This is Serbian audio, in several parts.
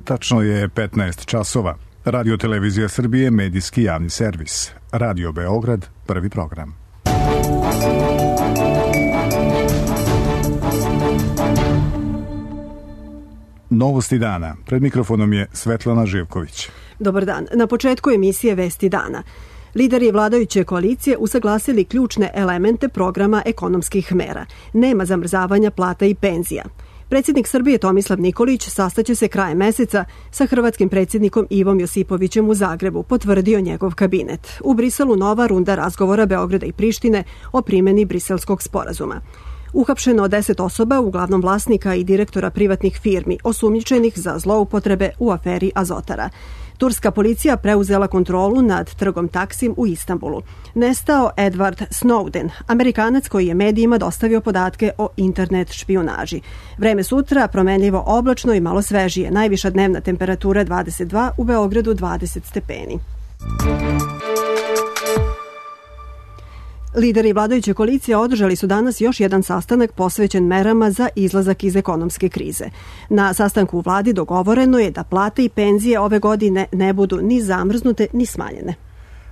Tačno je 15 časova. Radio Televizija Srbije, medijski javni servis. Radio Beograd, prvi program. Novosti dana. Pred mikrofonom je Svetlana Živković. Dobar dan. Na početku emisije Vesti dana. Lideri vladajuće koalicije usaglasili ključne elemente programa ekonomskih mera. Nema zamrzavanja plata i penzija. Predsjednik Srbije Tomislav Nikolić sastaće se krajem meseca sa hrvatskim predsjednikom Ivom Josipovićem u Zagrebu, potvrdio njegov kabinet. U Briselu nova runda razgovora Beograda i Prištine o primjeni Briselskog sporazuma. Uhapšeno 10 osoba, uglavnom vlasnika i direktora privatnih firmi, osumnjičenih za zloupotrebe u aferi Azotara. Turska policija preuzela kontrolu nad trgom Taksim u Istanbulu. Nestao Edward Snowden, Amerikanac koji je medijima dostavio podatke o internet špijunaži. Vreme sutra promenljivo oblačno i malo svežije. Najviša dnevna temperatura 22, u Beogradu 20 stepeni. Lideri vladajuće koalicije održali su danas još jedan sastanak posvećen merama za izlazak iz ekonomske krize. Na sastanku u vladi dogovoreno je da plate i penzije ove godine ne budu ni zamrznute ni smanjene.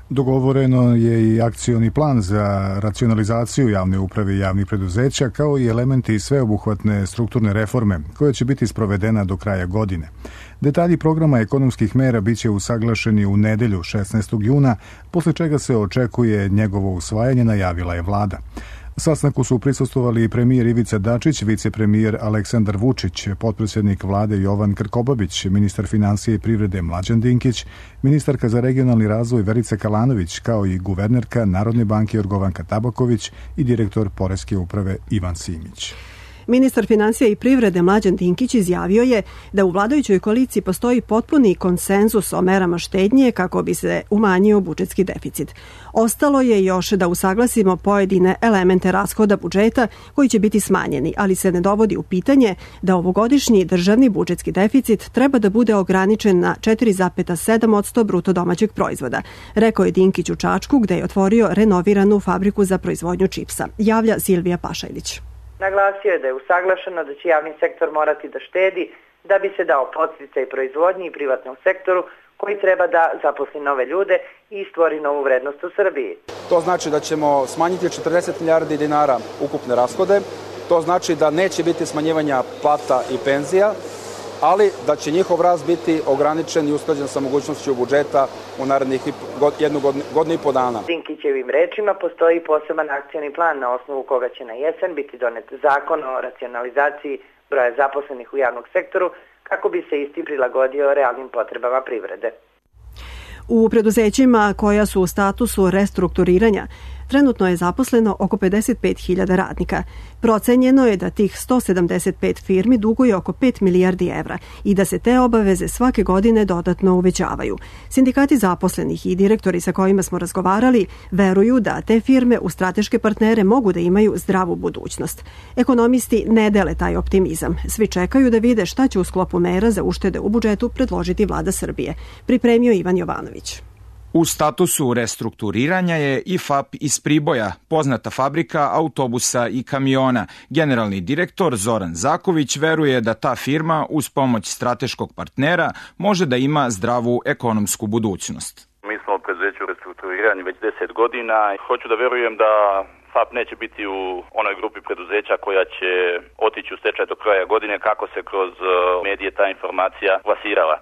Dogovoreno je i akcioni plan za racionalizaciju javne uprave i javnih preduzeća, kao i elementi sveobuhvatne strukturne reforme, koja će biti sprovedena do kraja godine. Detalji programa ekonomskih mera biće usaglašeni u nedelju 16. juna, posle čega se očekuje njegovo usvajanje, najavila je vlada. Sastanku su prisustvovali premijer Ivica Dačić, vicepremijer Aleksandar Vučić, potpredsjednik vlade Jovan Krkobabić, ministar finansije i privrede Mlađan Dinkić, ministarka za regionalni razvoj Verica Kalanović, kao i guvernerka Narodne banke Jorgovanka Tabaković i direktor Poreske uprave Ivan Simić. Ministar finansija i privrede Mlađan Dinkić izjavio je da u vladajućoj koaliciji postoji potpuni konsenzus o merama štednje kako bi se umanjio budžetski deficit. Ostalo je još da usaglasimo pojedine elemente rashoda budžeta koji će biti smanjeni, ali se ne dovodi u pitanje da ovogodišnji državni budžetski deficit treba da bude ograničen na 4,7% bruto domaćeg proizvoda, rekao je Dinkić u Čačku gde je otvorio renoviranu fabriku za proizvodnju čipsa. Javlja Silvija Pašajlić. Naglasio je da je usaglašeno da će javni sektor morati da štedi da bi se dao podsticaj proizvodnji i privatnom sektoru koji treba da zaposli nove ljude i stvori novu vrednost u Srbiji. To znači da ćemo smanjiti 40 milijardi dinara ukupne rashode, to znači da neće biti smanjivanja plata i penzija, ali da će njihov rast biti ograničen i usklađen sa mogućnošću budžeta u narednih jednu godinu i po dana. Dinkićevim rečima postoji poseban akcioni plan na osnovu koga će na jesen biti donet zakon o racionalizaciji broja zaposlenih u javnom sektoru kako bi se isti prilagodio realnim potrebama privrede. U preduzećima koja su u statusu restrukturiranja trenutno je zaposleno oko 55.000 radnika. Procenjeno je da tih 175 firmi duguje oko 5 milijardi evra i da se te obaveze svake godine dodatno uvećavaju. Sindikati zaposlenih i direktori sa kojima smo razgovarali veruju da te firme u strateške partnere mogu da imaju zdravu budućnost. Ekonomisti ne dele taj optimizam. Svi čekaju da vide šta će u sklopu mera za uštede u budžetu predložiti vlada Srbije. Pripremio Ivan Jovanović. U statusu restrukturiranja je i FAP iz Priboja, poznata fabrika autobusa i kamiona. Generalni direktor Zoran Zaković veruje da ta firma uz pomoć strateškog partnera može da ima zdravu ekonomsku budućnost. Mi smo u preduzeću restrukturiranja već 10 godina. Hoću da verujem da FAP neće biti u onoj grupi preduzeća koja će otići u stečaj do kraja godine kako se kroz medije ta informacija plasirala.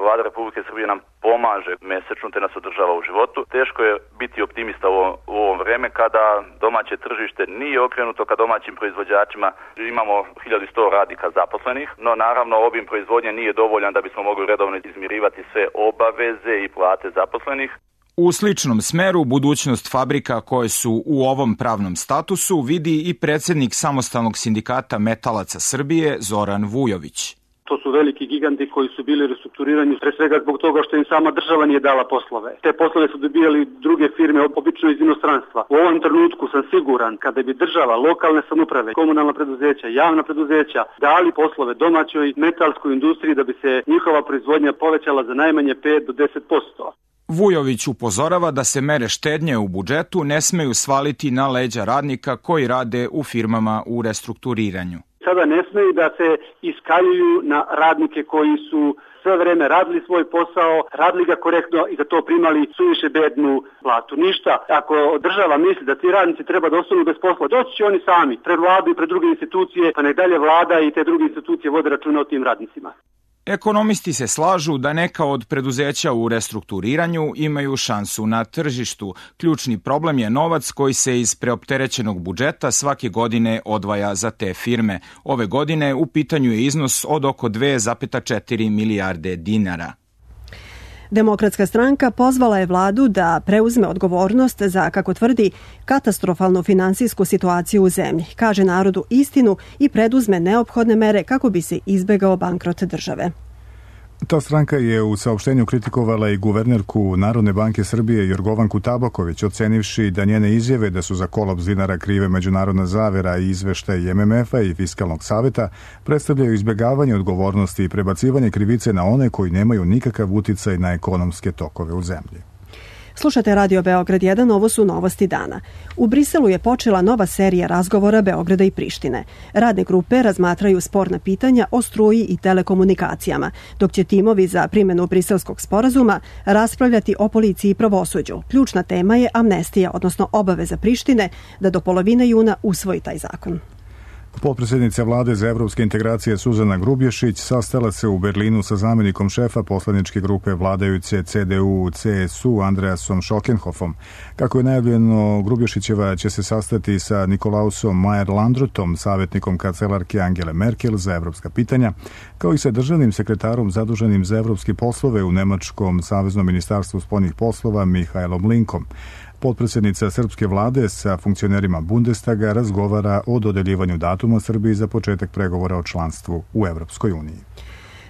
Vlada Republike Srbije nam pomaže mesečno te nas održava u životu. Teško je biti optimista u ovom vreme kada domaće tržište nije okrenuto ka domaćim proizvođačima. Imamo 1100 radnika zaposlenih, no naravno obim proizvodnje nije dovoljan da bismo mogli redovno izmirivati sve obaveze i plate zaposlenih. U sličnom smeru budućnost fabrika koje su u ovom pravnom statusu vidi i predsjednik Samostalnog sindikata metalaca Srbije Zoran Vujović. To su veliki giganti koji su bili restrukturirani pre svega zbog toga što im sama država nije dala poslove. Te poslove su dobijali druge firme, obično iz inostranstva. U ovom trenutku sam siguran kada bi država, lokalne samouprave, komunalna preduzeća, javna preduzeća dali poslove domaćoj metalskoj industriji da bi se njihova proizvodnja povećala za najmanje 5 do 10%. Vujović upozorava da se mere štednje u budžetu ne smeju svaliti na leđa radnika koji rade u firmama u restrukturiranju. Sada sada ne smeju da se iskaljuju na radnike koji su sve vreme radili svoj posao, radili ga korektno i za to primali suviše bednu platu. Ništa, ako država misli da ti radnici treba da ostanu bez posla, doći će oni sami pred vladu i pred druge institucije, pa nek dalje vlada i te druge institucije vode računa o tim radnicima. Ekonomisti se slažu da neka od preduzeća u restrukturiranju imaju šansu na tržištu. Ključni problem je novac koji se iz preopterećenog budžeta svake godine odvaja za te firme. Ove godine u pitanju je iznos od oko 2,4 milijarde dinara. Demokratska stranka pozvala je vladu da preuzme odgovornost za, kako tvrdi, katastrofalnu finansijsku situaciju u zemlji, kaže narodu istinu i preduzme neophodne mere kako bi se izbegao bankrot države. Ta stranka je u saopštenju kritikovala i guvernerku Narodne banke Srbije Jorgovanku Tabaković, ocenivši da njene izjave da su za kolaps dinara krive međunarodna zavera i izveštaj MMF-a i Fiskalnog saveta predstavljaju izbegavanje odgovornosti i prebacivanje krivice na one koji nemaju nikakav uticaj na ekonomske tokove u zemlji. Slušate Radio Beograd 1, ovo su novosti dana. U Briselu je počela nova serija razgovora Beograda i Prištine. Radne grupe razmatraju sporna pitanja o struji i telekomunikacijama, dok će timovi za primjenu briselskog sporazuma raspravljati o policiji i pravosuđu. Ključna tema je amnestija, odnosno obaveza Prištine da do polovine juna usvoji taj zakon. Potpredsjednica vlade za evropske integracije Suzana Grubješić sastala se u Berlinu sa zamjenikom šefa poslaničke grupe vladajuće CDU-CSU Andreasom Scholkenhofom. Kako je najavljeno, Grubješićeva će se sastati sa Nikolausom Mayer-Landrutom, savjetnikom kancelarke Angele Merkel za evropska pitanja, kao i sa državnim sekretarom zaduženim za evropske poslove u Nemačkom saveznom ministarstvu spoljnih poslova Mihajlom Linkom. Potpredsjednica srpske vlade sa funkcionerima Bundestaga razgovara o dodeljivanju datuma Srbiji za početak pregovora o članstvu u Evropskoj uniji.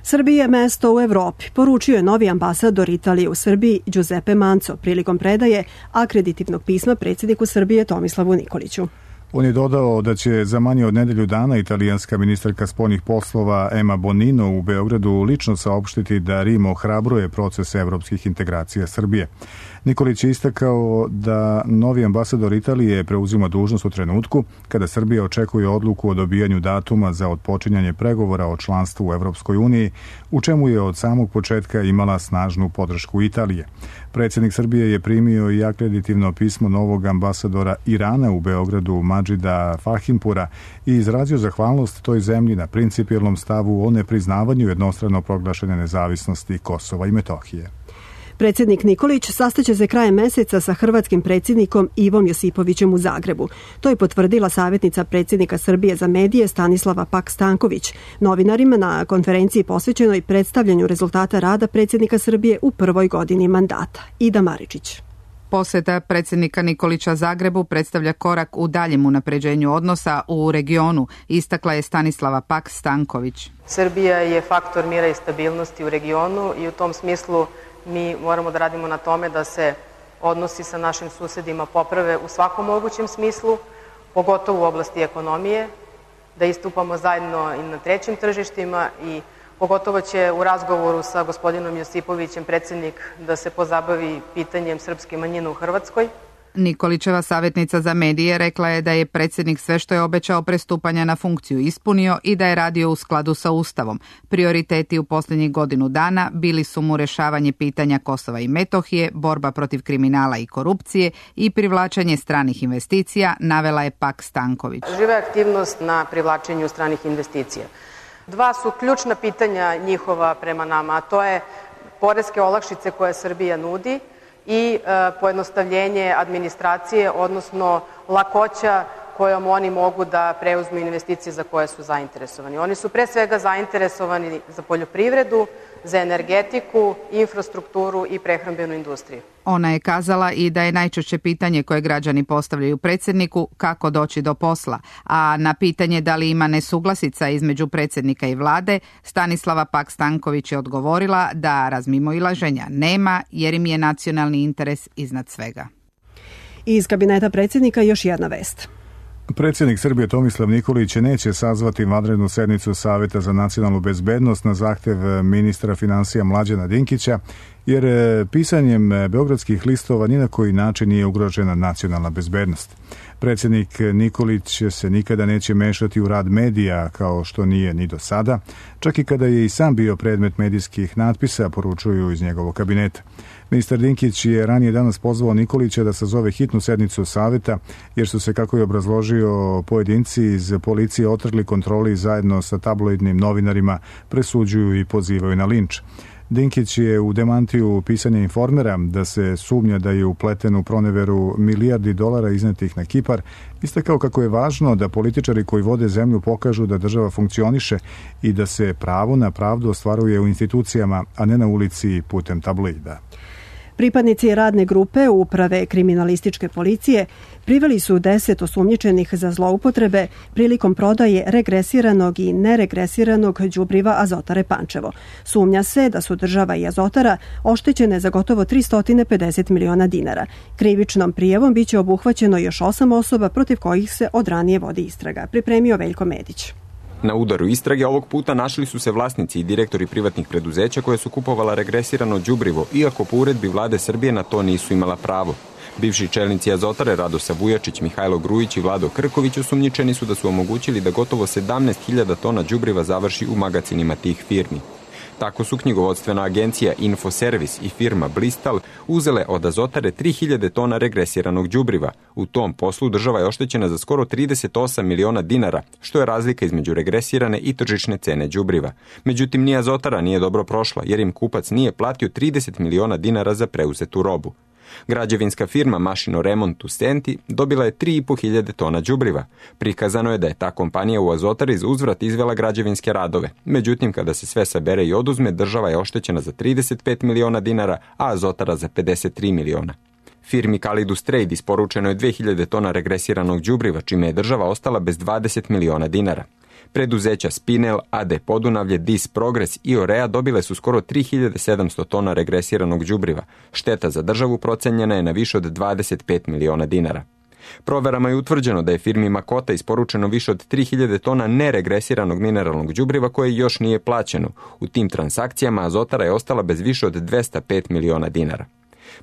Srbija je mesto u Evropi, poručio je novi ambasador Italije u Srbiji Giuseppe Manco prilikom predaje akreditivnog pisma predsjedniku Srbije Tomislavu Nikoliću. On je dodao da će za manje od nedelju dana italijanska ministarka spoljnih poslova Emma Bonino u Beogradu lično saopštiti da Rim ohrabruje proces evropskih integracija Srbije. Nikolić je istakao da novi ambasador Italije preuzima dužnost u trenutku kada Srbija očekuje odluku o dobijanju datuma za otpočinjanje pregovora o članstvu u Evropskoj uniji, u čemu je od samog početka imala snažnu podršku Italije. Predsjednik Srbije je primio i akreditivno pismo novog ambasadora Irana u Beogradu Madžida Fahimpura i izrazio zahvalnost toj zemlji na principijelnom stavu o nepriznavanju jednostrano proglašene nezavisnosti Kosova i Metohije. Predsjednik Nikolić sastaće se krajem meseca sa hrvatskim predsjednikom Ivom Josipovićem u Zagrebu. To je potvrdila savjetnica predsjednika Srbije za medije Stanislava Pak-Stanković novinarima na konferenciji posvećenoj predstavljanju rezultata rada predsjednika Srbije u prvoj godini mandata. Ida Maričić. Posjeta predsjednika Nikolića Zagrebu predstavlja korak u daljem unapređenju odnosa u regionu, istakla je Stanislava Pak-Stanković. Srbija je faktor mira i stabilnosti u regionu i u tom smislu mi moramo da radimo na tome da se odnosi sa našim susedima poprave u svakom mogućem smislu, pogotovo u oblasti ekonomije, da istupamo zajedno i na trećim tržištima i pogotovo će u razgovoru sa gospodinom Josipovićem predsjednik da se pozabavi pitanjem srpske manjine u Hrvatskoj. Nikolićeva savjetnica za medije rekla je da je predsjednik sve što je obećao prestupanja na funkciju ispunio i da je radio u skladu sa Ustavom. Prioriteti u posljednjih godinu dana bili su mu rješavanje pitanja Kosova i Metohije, borba protiv kriminala i korupcije i privlačenje stranih investicija, navela je Pak-Stanković. Živa aktivnost na privlačenju stranih investicija. Dva su ključna pitanja njihova prema nama, a to je poreske olakšice koje Srbija nudi i pojednostavljenje administracije, odnosno lakoća kojom oni mogu da preuzmu investicije za koje su zainteresovani. Oni su pre svega zainteresovani za poljoprivredu, za energetiku, infrastrukturu i prehrambenu industriju. Ona je kazala i da je najčešće pitanje koje građani postavljaju predsjedniku kako doći do posla, a na pitanje da li ima nesuglasica između predsjednika i vlade, Stanislava Pak-Stanković je odgovorila da razmimoilaženja nema jer im je nacionalni interes iznad svega. Iz kabineta predsjednika još jedna vest. Predsjednik Srbije Tomislav Nikolić neće sazvati vanrednu sednicu Saveta za nacionalnu bezbednost na zahtjev ministra financija Mlađana Dinkića, jer pisanjem beogradskih listova ni na koji način nije ugrožena nacionalna bezbednost. Predsjednik Nikolić se nikada neće mešati u rad medija kao što nije ni do sada, čak i kada je i sam bio predmet medijskih natpisa, poručuju iz njegovog kabineta. Ministar Dinkić je ranije danas pozvao Nikolića da sazove hitnu sednicu saveta, jer su se, kako je obrazložio, pojedinci iz policije otrgli kontroli zajedno sa tabloidnim novinarima, presuđuju i pozivaju na linč. Dinkić je u demantiju pisanja Informera da se sumnja da je upleten u proneveru milijardi dolara iznetih na Kipar, istakao kako je važno da političari koji vode zemlju pokažu da država funkcioniše i da se pravo na pravdu ostvaruje u institucijama, a ne na ulici putem tabloida. Pripadnici radne grupe Uprave kriminalističke policije priveli su 10 osumnjičenih za zloupotrebe prilikom prodaje regresiranog i neregresiranog đubriva Azotare Pančevo. Sumnja se da su država i Azotara oštećene za gotovo 350 miliona dinara. Krivičnom prijavom biće obuhvaćeno još 8 osoba protiv kojih se od ranije vodi istraga. Pripremio Veljko Medić. Na udaru istrage ovog puta našli su se vlasnici i direktori privatnih preduzeća koje su kupovala regresirano đubrivo, iako po uredbi vlade Srbije na to nisu imala pravo. Bivši čelnici Azotare Radosa Vujačić, Mihajlo Grujić i Vlado Krković osumnjičeni su da su omogućili da gotovo 17.000 tona đubriva završi u magacinima tih firmi. Tako su knjigovodstvena agencija Infoservis i firma Blistal uzele od Azotare 3.000 tona regresiranog đubriva. U tom poslu država je oštećena za skoro 38 miliona dinara, što je razlika između regresirane i tržišne cene đubriva. Međutim, ni Azotara nije dobro prošla, jer im kupac nije platio 30 miliona dinara za preuzetu robu. Građevinska firma Mašino Remont u Senti dobila je 3.500 tona đubriva. Prikazano je da je ta kompanija u Azotari za uzvrat izvela građevinske radove. Međutim, kada se sve sabere i oduzme, država je oštećena za 35 miliona dinara, a Azotara za 53 miliona. Firmi Kalidus Trade isporučeno je 2.000 tona regresiranog đubriva, čime je država ostala bez 20 miliona dinara. Preduzeća Spinel, AD Podunavlje, Dis Progres i Orea dobile su skoro 3.700 tona regresiranog đubriva. Šteta za državu procenjena je na više od 25 miliona dinara. Proverama je utvrđeno da je firmi Makota isporučeno više od 3.000 tona neregresiranog mineralnog đubriva koje još nije plaćeno. U tim transakcijama Azotara je ostala bez više od 205 miliona dinara.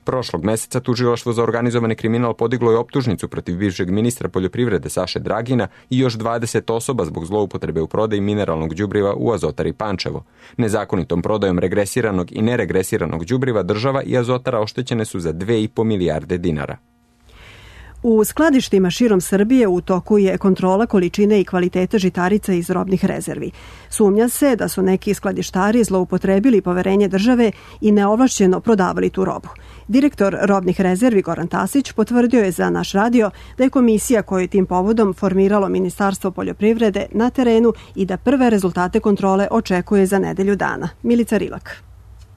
Prošlog meseca Tužilaštvo za organizovani kriminal podiglo je optužnicu protiv bivšeg ministra poljoprivrede Saše Dragina i još 20 osoba zbog zloupotrebe u prodaji mineralnog đubriva u Azotari Pančevo. Nezakonitom prodajom regresiranog i neregresiranog đubriva država i Azotara oštećene su za 2,5 milijarde dinara. U skladištima širom Srbije u toku je kontrola količine i kvaliteta žitarica iz robnih rezervi. Sumnja se da su neki skladištari zloupotrebili poverenje države i neovlašćeno prodavali tu robu. Direktor robnih rezervi Goran Tasić potvrdio je za naš radio da je komisija koju je tim povodom formiralo Ministarstvo poljoprivrede na terenu i da prve rezultate kontrole očekuje za nedelju dana. Milica Rilak.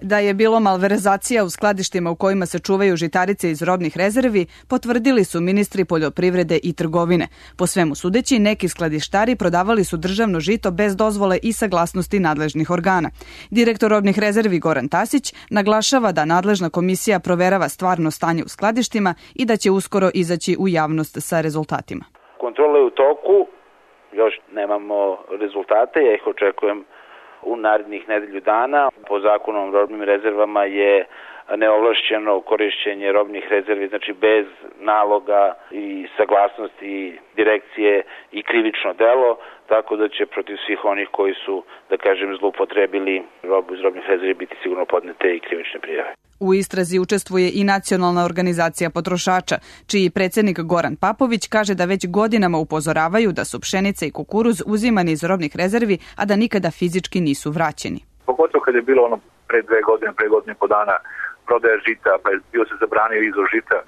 Da je bilo malverzacija u skladištima u kojima se čuvaju žitarice iz robnih rezervi, potvrdili su ministri poljoprivrede i trgovine. Po svemu sudeći, neki skladištari prodavali su državno žito bez dozvole i saglasnosti nadležnih organa. Direktor robnih rezervi Goran Tasić naglašava da nadležna komisija proverava stvarno stanje u skladištima i da će uskoro izaći u javnost sa rezultatima. Kontrola je u toku, još nemamo rezultate, ja ih očekujem u narednih nedelju dana. Po zakonu o robnim rezervama je neovlašćeno korišćenje robnih rezervi, znači bez naloga i saglasnosti direkcije i krivično delo, tako da će protiv svih onih koji su, da kažem, zloupotrebili robu iz robnih rezervi biti sigurno podnete i krivične prijave. U istrazi učestvuje i Nacionalna organizacija potrošača, čiji predsjednik Goran Papović kaže da već godinama upozoravaju da su pšenica i kukuruz uzimani iz robnih rezervi, a da nikada fizički nisu vraćeni. Pogotovo kad je bilo pre 2 godine, pre godine i po dana prodaje žita, pa je bio se zabranio izvoz žita.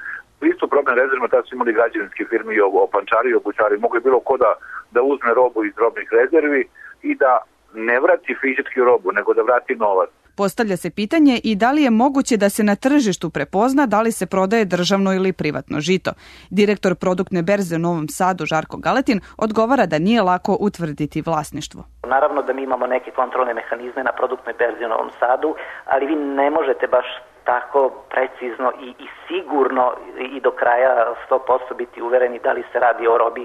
Isto problem rezervima, tada su imali građevinske firme i opančari i obućari. Mogu je bilo ko da uzme robu iz robnih rezervi i da ne vrati fizički robu, nego da vrati novac. Postavlja se pitanje i da li je moguće da se na tržištu prepozna da li se prodaje državno ili privatno žito. Direktor produktne berze u Novom Sadu Žarko Galetin odgovara da nije lako utvrditi vlasništvo. Naravno da mi imamo neke kontrolne mehanizme na produktnoj berzi u Novom Sadu, ali vi ne možete baš tako precizno i sigurno i do kraja 100% biti uvereni da li se radi o robi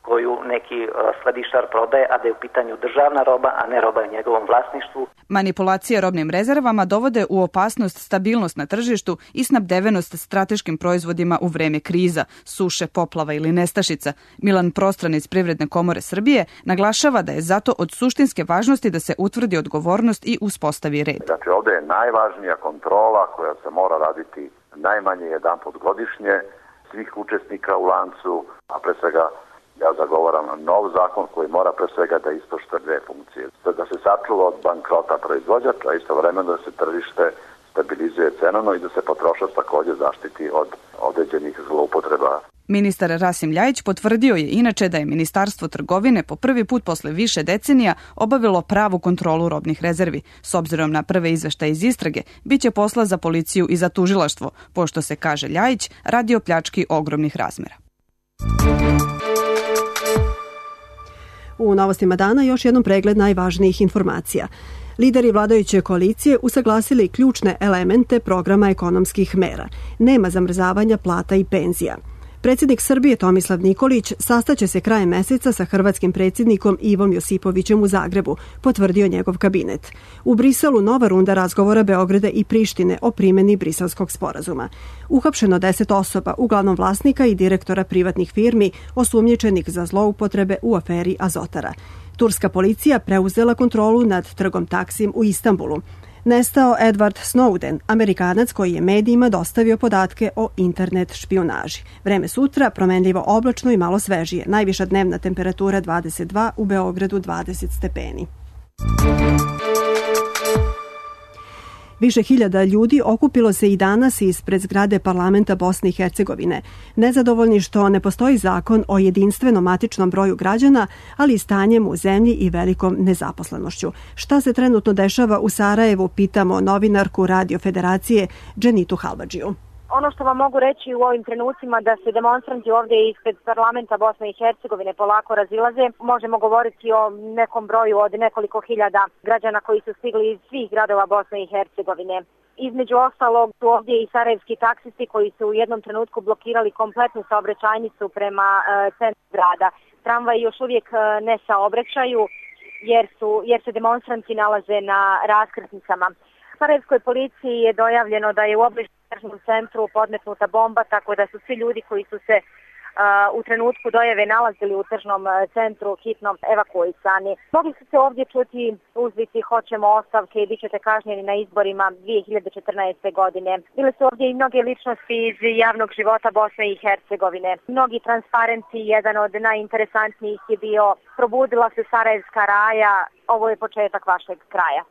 koju neki skladištar prodaje, a da je u pitanju državna roba, a ne roba u njegovom vlasništvu. Manipulacije robnim rezervama dovode u opasnost stabilnost na tržištu i snabdevenost strateškim proizvodima u vreme kriza, suše, poplava ili nestašica. Milan Prostran iz Privredne komore Srbije naglašava da je zato od suštinske važnosti da se utvrdi odgovornost i uspostavi red. Znači ovde je najvažnija kontrola koja se mora raditi najmanje jedanput godišnje svih učesnika u lancu, a pre svega ja zagovaram nov zakon koji mora pre svega da ispoštuje dve funkcije. Da se sačuva od bankrota proizvođača, a istovremeno da se tržište stabilizuje cenovno i da se potrošač takođe zaštiti od određenih zloupotreba. Ministar Rasim Ljajić potvrdio je inače da je Ministarstvo trgovine po prvi put posle više decenija obavilo pravu kontrolu robnih rezervi. S obzirom na prve izveštaje iz istrage, biće posla za policiju i za tužilaštvo, pošto se, kaže Ljajić, radi o pljački ogromnih razmera. U novostima dana još jednom pregled najvažnijih informacija. Lideri vladajuće koalicije usaglasili ključne elemente programa ekonomskih mera. Nema zamrzavanja plata i penzija. Predsjednik Srbije Tomislav Nikolić sastaće se krajem meseca sa hrvatskim predsjednikom Ivom Josipovićem u Zagrebu, potvrdio njegov kabinet. U Briselu nova runda razgovora Beograda i Prištine o primjeni Briselskog sporazuma. Uhapšeno 10 osoba, uglavnom vlasnika i direktora privatnih firmi, osumnjičenih za zloupotrebe u aferi Azotara. Turska policija preuzela kontrolu nad trgom Taksim u Istanbulu. Nestao Edward Snowden, Amerikanac koji je medijima dostavio podatke o internet špijunaži. Vreme sutra promenljivo oblačno i malo svežije. Najviša dnevna temperatura 22, u Beogradu 20 stepeni. Više hiljada ljudi okupilo se i danas ispred zgrade parlamenta Bosne i Hercegovine. Nezadovoljni što ne postoji zakon o jedinstvenom matičnom broju građana, ali i stanjem u zemlji i velikom nezaposlenošću. Šta se trenutno dešava u Sarajevu, pitamo novinarku Radio Federacije Dženitu Halvadžiju. Ono što vam mogu reći u ovim trenucima da se demonstranti ovdje ispred parlamenta Bosne i Hercegovine polako razilaze. Možemo govoriti o nekom broju od nekoliko hiljada građana koji su stigli iz svih gradova Bosne i Hercegovine. Između ostalog su ovdje i sarajevski taksisti koji su u jednom trenutku blokirali kompletnu saobraćajnicu prema centru grada. Tramvaji još uvijek ne saobraćaju jer se demonstranti nalaze na raskrsnicama. Sarajevskoj policiji je dojavljeno da je u obližnjem tržnom centru podmetnuta bomba, tako da su svi ljudi koji su se u trenutku dojave nalazili u tržnom centru hitno evakuisani. Mogli su se ovdje čuti uzvici hoćemo ostavke i bit ćete kažnjeni na izborima 2014. godine. Bile su ovdje i mnoge ličnosti iz javnog života Bosne i Hercegovine. Mnogi transparenti, jedan od najinteresantnijih je bio probudila se Sarajevska raja, ovo je početak vašeg kraja.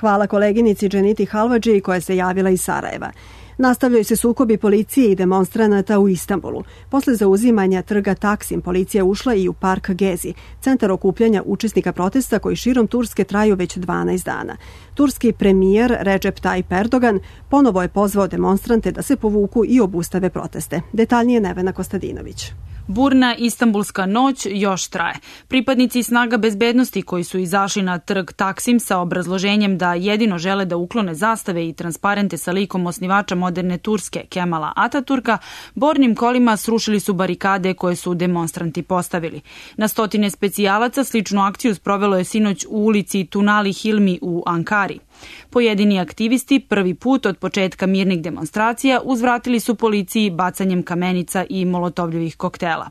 Hvala koleginici Dženiti Halvadži koja se javila iz Sarajeva. Nastavljaju se sukobi policije i demonstranata u Istanbulu. Posle zauzimanja trga Taksim, policija ušla i u park Gezi, centar okupljanja učesnika protesta koji širom Turske traju već 12 dana. Turski premijer Recep Tayyip Erdogan ponovo je pozvao demonstrante da se povuku i obustave proteste. Detaljnije Nevena Kostadinović. Burna istanbulska noć još traje. Pripadnici snaga bezbednosti koji su izašli na trg Taksim sa obrazloženjem da jedino žele da uklone zastave i transparente sa likom osnivača moderne Turske Kemala Ataturka, bornim kolima srušili su barikade koje su demonstranti postavili. Na stotine specijalaca sličnu akciju sprovelo je sinoć u ulici Tunali Hilmi u Ankari. Pojedini aktivisti prvi put od početka mirnih demonstracija uzvratili su policiji bacanjem kamenica i molotovljevih koktela.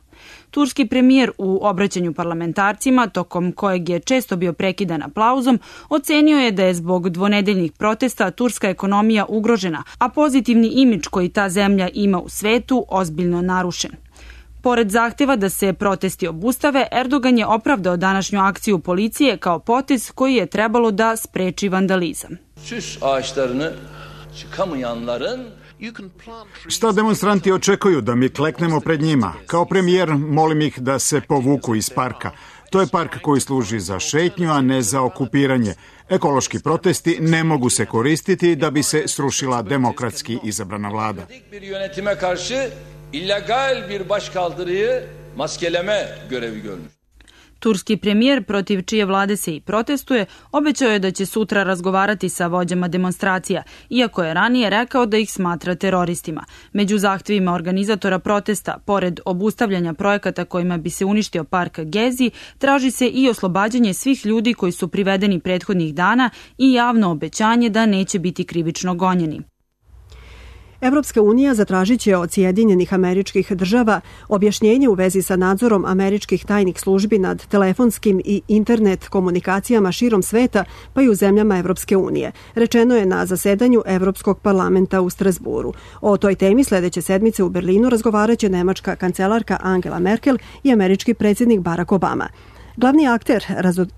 Turski premijer u obraćanju parlamentarcima, tokom kojeg je često bio prekidan aplauzom, ocenio je da je zbog dvonedeljnih protesta turska ekonomija ugrožena, a pozitivni imidž koji ta zemlja ima u svetu ozbiljno narušen. Pored zahteva da se protesti obustave, Erdogan je opravdao današnju akciju policije kao potez koji je trebalo da spreči vandalizam. Šta demonstranti očekuju? Da mi kleknemo pred njima. Kao premijer molim ih da se povuku iz parka. To je park koji služi za šetnju, a ne za okupiranje. Ekološki protesti ne mogu se koristiti da bi se srušila demokratski izabrana vlada. illegal bir başkaldırıyı maskeleme görevi görmüş. Turski premijer, protiv čije vlade se i protestuje, obećao je da će sutra razgovarati sa vođama demonstracija, iako je ranije rekao da ih smatra teroristima. Među zahtevima organizatora protesta, pored obustavljanja projekata kojima bi se uništio park Gezi, traži se i oslobađanje svih ljudi koji su privedeni prethodnih dana i javno obećanje da neće biti krivično gonjeni. Evropska unija zatražit će od Sjedinjenih Američkih Država objašnjenje u vezi sa nadzorom američkih tajnih službi nad telefonskim i internet komunikacijama širom sveta, pa i u zemljama Evropske unije. Rečeno je na zasedanju Evropskog parlamenta u Strasburu. O toj temi sledeće sedmice u Berlinu razgovaraće nemačka kancelarka Angela Merkel i američki predsjednik Barack Obama. Glavni akter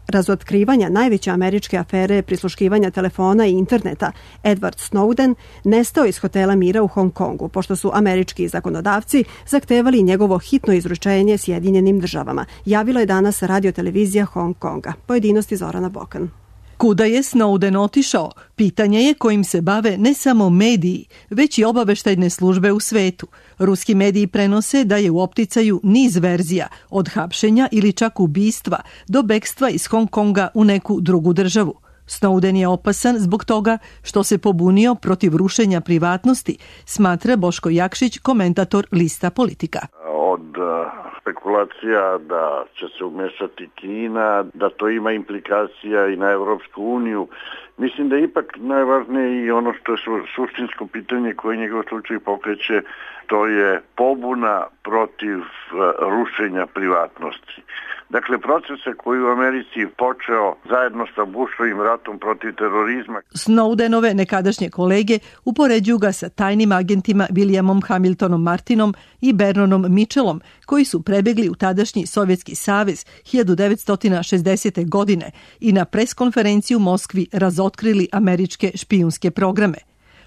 razotkrivanja najveće američke afere prisluškivanja telefona i interneta, Edward Snowden, nestao iz hotela Mira u Hong Kongu, pošto su američki zakonodavci zahtevali njegovo hitno izručenje Sjedinjenim Državama. Javila je danas radiotelevizija Hong Konga. Pojedinosti Zorana Bokan. Kuda je Snowden otišao? Pitanje je kojim se bave ne samo mediji, već i obaveštajne službe u svetu. Ruski mediji prenose da je u opticaju niz verzija, od hapšenja ili čak ubistva do bekstva iz Hong Konga u neku drugu državu. Snowden je opasan zbog toga što se pobunio protiv rušenja privatnosti, smatra Boško Jakšić, komentator Lista Politika. Od spekulacija da će se umešati Kina, da to ima implikacija i na Evropsku uniju. Mislim da je ipak najvažnije i ono što je suštinsko pitanje koje njegov slučaj pokreće, to je pobuna protiv rušenja privatnosti. Dakle, procese koji u Americi počeo zajedno sa Bushovim ratom protiv terorizma. Snowdenove nekadašnje kolege upoređuju ga sa tajnim agentima Williamom Hamiltonom Martinom i Vernonom Mitchellom, koji su prebegli u tadašnji Sovjetski savez 1960. godine i na preskonferenciji u Moskvi razotkrili američke špijunske programe.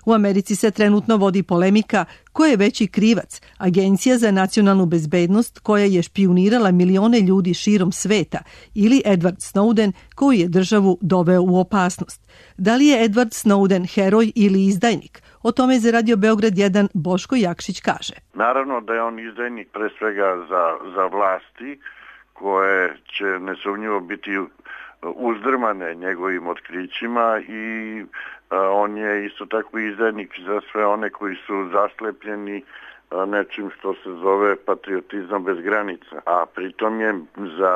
U Americi se trenutno vodi polemika ko je veći krivac, Agencija za nacionalnu bezbednost koja je špijunirala milione ljudi širom sveta ili Edward Snowden koji je državu doveo u opasnost. Da li je Edward Snowden heroj ili izdajnik? O tome za Radio Beograd 1 Boško Jakšić kaže. Naravno da je on izdajnik pre svega za vlasti koje će nesumnjivo biti uzdrmane njegovim otkrićima i on je isto tako izdajnik za sve one koji su zaslepljeni nečim što se zove patriotizam bez granica, a pritom je za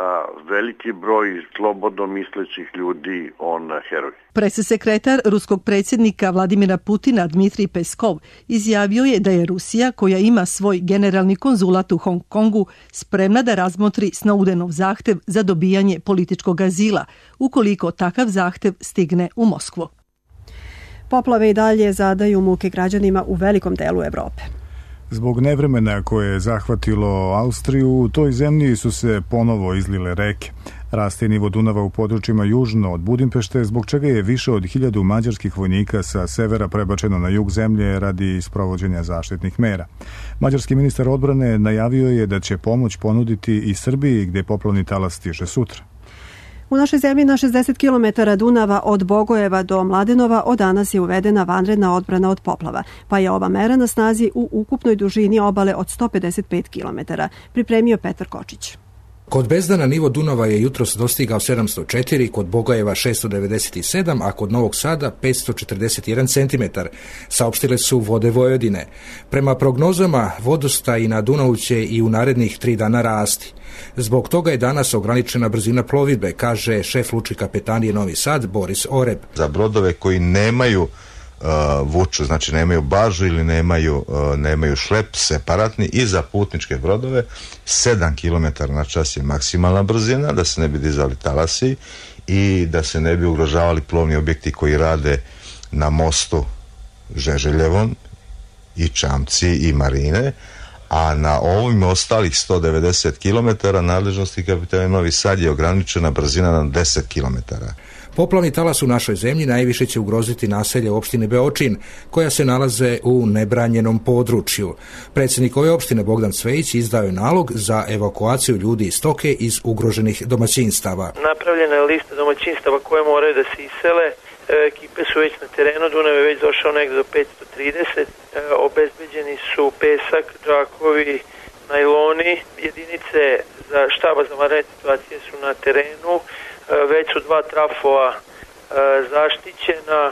veliki broj slobodno mislećih ljudi on heroj. Presesekretar ruskog predsjednika Vladimira Putina Dmitrij Peskov izjavio je da je Rusija, koja ima svoj generalni konzulat u Hong Kongu, spremna da razmotri Snowdenov zahtev za dobijanje političkog azila, ukoliko takav zahtev stigne u Moskvu. Poplave i dalje zadaju muke građanima u velikom delu Evrope. Zbog nevremena koje je zahvatilo Austriju, u toj zemlji su se ponovo izlile reke. Raste nivo Dunava u područjima južno od Budimpešte, zbog čega je više od 1000 mađarskih vojnika sa severa prebačeno na jug zemlje radi sprovođenja zaštitnih mera. Mađarski ministar odbrane najavio je da će pomoć ponuditi i Srbiji, gde poplavni talas stiže sutra. U našoj zemlji na 60 km Dunava od Bogojeva do Mladenova od danas je uvedena vanredna odbrana od poplava, pa je ova mera na snazi u ukupnoj dužini obale od 155 km, pripremio Petar Kočić. Kod Bezdana nivo Dunava je jutros dostigao 704, kod Bogojeva 697, a kod Novog Sada 541 cm, saopštile su Vode Vojvodine. Prema prognozama, vodostaj na Dunavu će i u narednih 3 dana rasti. Zbog toga je danas ograničena brzina plovidbe, kaže šef lučke kapetanije Novi Sad Boris Oreb. Za brodove koji nemaju vuču, znači nemaju bažu ili nemaju šlep separatni, i za putničke brodove 7 km na čas je maksimalna brzina, da se ne bi dizali talasi i da se ne bi ugrožavali plovni objekti koji rade na mostu Žeželjevom i Čamci i Marine, a na ovim ostalih 190 km nadležnosti kapetanije Novi Sad je ograničena brzina na 10 km. Poplavni talas u našoj zemlji najviše će ugroziti naselje opštine Beočin, koja se nalaze u nebranjenom području. Predsjednik ove opštine Bogdan Cvejić izdao je nalog za evakuaciju ljudi i stoke iz ugroženih domaćinstava. Napravljena je lista domaćinstava koje moraju da se isele. Ekipe su već na terenu, Dunav je već došao negde do 530, obezbeđeni su pesak, džakovi, najloni. Jedinice za štaba za vanredne situacije su na terenu, već su 2 trafoa zaštićena,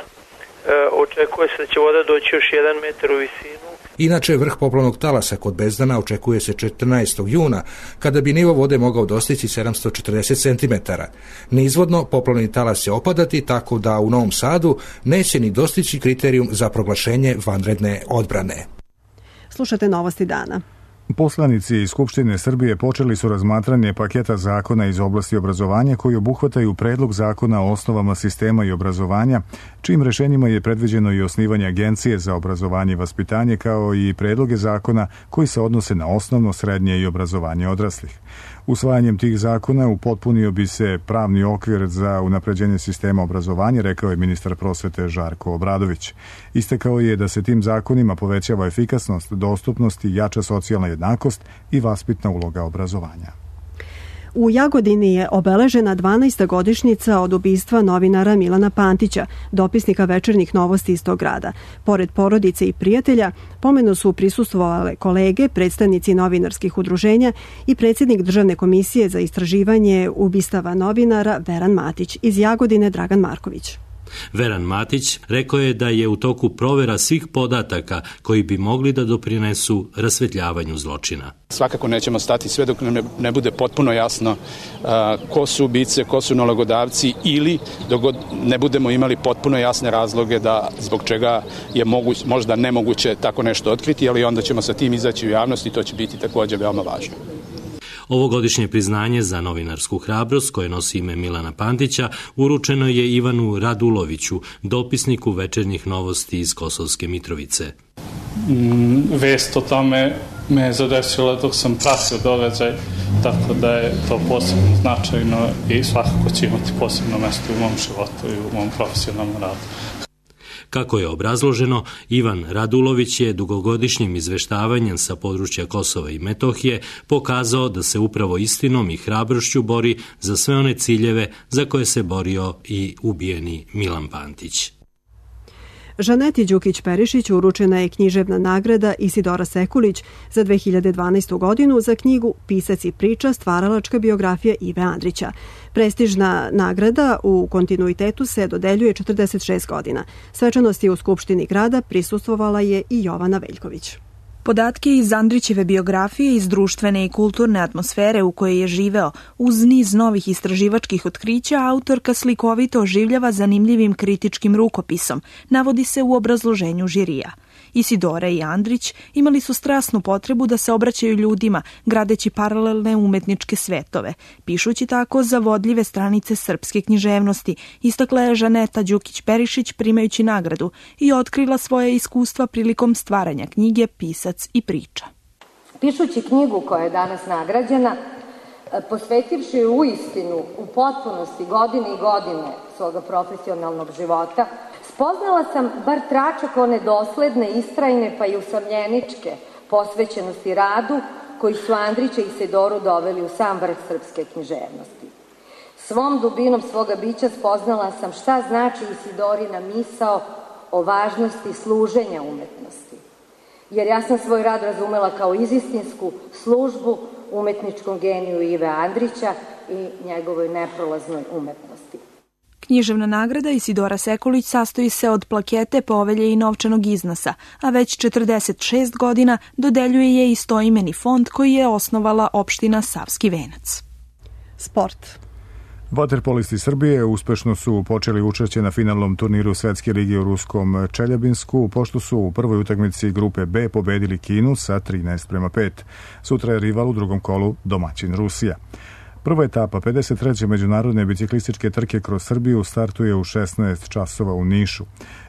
očekuje se da će voda doći još 1 metar u visinu. Inače, vrh poplavnog talasa kod Bezdana očekuje se 14. juna, kada bi nivo vode mogao dostići 740 cm. Nizvodno, poplavni talas će opadati, tako da u Novom Sadu neće ni dostići kriterijum za proglašenje vanredne odbrane. Slušate Novosti dana. Poslanici iz Skupštine Srbije počeli su razmatranje paketa zakona iz oblasti obrazovanja koji obuhvataju predlog zakona o osnovama sistema i obrazovanja, čijim rešenjima je predviđeno i osnivanje Agencije za obrazovanje i vaspitanje, kao i predloge zakona koji se odnose na osnovno, srednje i obrazovanje odraslih. Usvajanjem tih zakona upotpunio bi se pravni okvir za unapređenje sistema obrazovanja, rekao je ministar prosvete Žarko Obradović. Istakao je da se tim zakonima povećava efikasnost, dostupnost i jača socijalna jednakost i vaspitna uloga obrazovanja. U Jagodini je obeležena 12. godišnjica od ubistva novinara Milana Pantića, dopisnika Večernjih novosti iz tog grada. Pored porodice i prijatelja, pomenu su prisustvovale kolege, predstavnici novinarskih udruženja i predsjednik Državne komisije za istraživanje ubistava novinara Veran Matić. Iz Jagodine Dragan Marković. Veran Matić rekao je da je u toku provera svih podataka koji bi mogli da doprinesu rasvetljavanju zločina. Svakako nećemo stati sve dok ne bude potpuno jasno ko su ubice, ko su nalogodavci ili dok ne budemo imali potpuno jasne razloge da zbog čega je možda nemoguće tako nešto otkriti, ali onda ćemo sa tim izaći u javnost i to će biti također veoma važno. Ovogodišnje priznanje za novinarsku hrabrost, koje nosi ime Milana Pantića, uručeno je Ivanu Raduloviću, dopisniku Večernjih novosti iz Kosovske Mitrovice. Vest o tome me je zadesila dok sam pratio događaj, tako da je to posebno značajno i svakako će imati posebno mesto u mom životu i u mom profesionalnom radu. Kako je obrazloženo, Ivan Radulović je dugogodišnjim izveštavanjem sa područja Kosova i Metohije pokazao da se upravo istinom i hrabrošću bori za sve one ciljeve za koje se borio i ubijeni Milan Pantić. Žaneti Đukić-Perišić uručena je književna nagrada Isidora Sekulić za 2012. godinu za knjigu Pisac i priča, stvaralačka biografija Ive Andrića. Prestižna nagrada u kontinuitetu se dodeljuje 46 godina. Svečanosti u Skupštini grada prisustvovala je i Jovana Veljković. Podatke iz Andrićeve biografije, iz društvene i kulturne atmosfere u kojoj je živeo, uz niz novih istraživačkih otkrića, autorka slikovito oživljava zanimljivim kritičkim rukopisom, navodi se u obrazloženju žirija. Isidora i Andrić imali su strasnu potrebu da se obraćaju ljudima, gradeći paralelne umetničke svetove, pišući tako zavodljive stranice srpske književnosti, istakla je Žaneta Đukić-Perišić primajući nagradu i otkrila svoje iskustva prilikom stvaranja knjige Pisac i priča. Pišući knjigu koja je danas nagrađena, posvetivši je uistinu u potpunosti godine i godine svoga profesionalnog života, spoznala sam bar tračak one dosledne, istrajne pa i usamljeničke posvećenosti radu koji su Andrića i Isidoru doveli u sam vrh srpske književnosti. Svom dubinom svoga bića spoznala sam šta znači Isidorina misao o važnosti služenja umetnosti. Jer ja sam svoj rad razumela kao izistinsku službu umetničkom geniju Ive Andrića i njegovoj neprolaznoj umetnosti. Književna nagrada Isidora Sekulić sastoji se od plakete, povelje i novčanog iznosa, a već 46 godina dodeljuje je istoimeni fond koji je osnovala opština Savski Venac. Sport. Vaterpolisti Srbije uspešno su počeli učešće na finalnom turniru Svetske lige u ruskom Čeljabinsku, pošto su u prvoj utakmici grupe B pobedili Kinu sa 13:5. Sutra je rival u drugom kolu domaćin Rusija. Prva etapa 53. međunarodne biciklističke trke kroz Srbiju startuje u 16 časova u Nišu.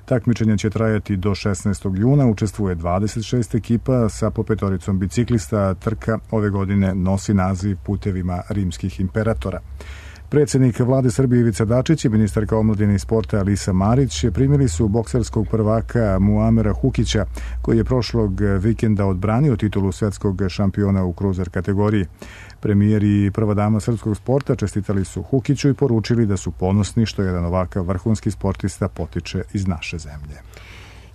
Takmičenje će trajati do 16. juna, učestvuje 26 ekipa sa po petoricom biciklista. Trka ove godine nosi naziv Putevima rimskih imperatora. Predsjednik vlade Srbije Ivica Dačić i ministarka omladine i sporta Alisa Marić primili su bokserskog prvaka Muamera Hukića, koji je prošlog vikenda odbranio titulu svetskog šampiona u kruzer kategoriji. Premijer i prva dama srpskog sporta čestitali su Hukiću i poručili da su ponosni što jedan ovakav vrhunski sportista potiče iz naše zemlje.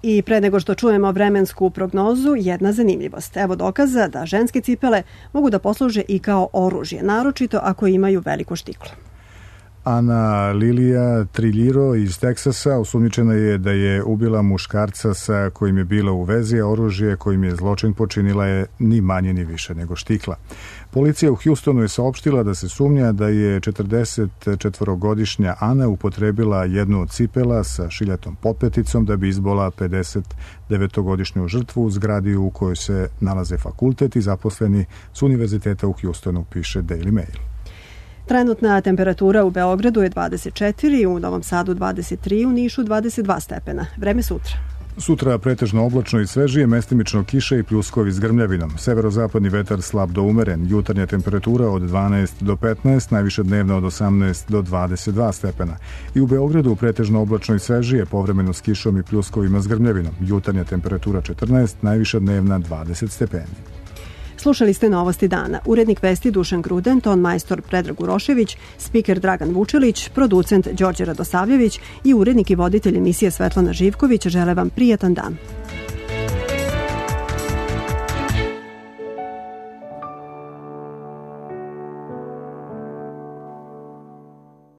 I pre nego što čujemo vremensku prognozu, jedna zanimljivost. Evo dokaza da ženske cipele mogu da posluže i kao oružje, naročito ako imaju veliko štiklo. Ana Lilija Triljiro iz Teksasa osumnjičena je da je ubila muškarca sa kojim je bila u vezi, a oružje kojim je zločin počinila je ni manje ni više nego štikla. Policija u Houstonu je saopštila da se sumnja da je 44-godišnja Ana upotrebila jednu od cipela sa šiljatom potpeticom da bi izbola 59-godišnju žrtvu u zgradi u kojoj se nalaze fakultet i zaposleni s univerziteta u Houstonu, piše Daily Mail. Trenutna temperatura u Beogradu je 24, u Novom Sadu 23, u Nišu 22 stepena. Vreme sutra. Sutra pretežno oblačno i svežije, mestimično kiše i pljuskovi s grmljavinom. Severozapadni vetar slab do umeren, jutarnja temperatura od 12 do 15, najviše dnevna od 18 do 22 stepena. I u Beogradu pretežno oblačno i svežije, povremeno s kišom i pljuskovima s grmljavinom. Jutarnja temperatura 14, najviša dnevna 20 stepeni. Slušali ste Novosti dana. Urednik vesti Dušan Gruden, ton majstor Predrag Urošević, spiker Dragan Vučelić, producent Đorđe Radosavljević i urednik i voditelj emisije Svetlana Živković žele vam prijatan dan.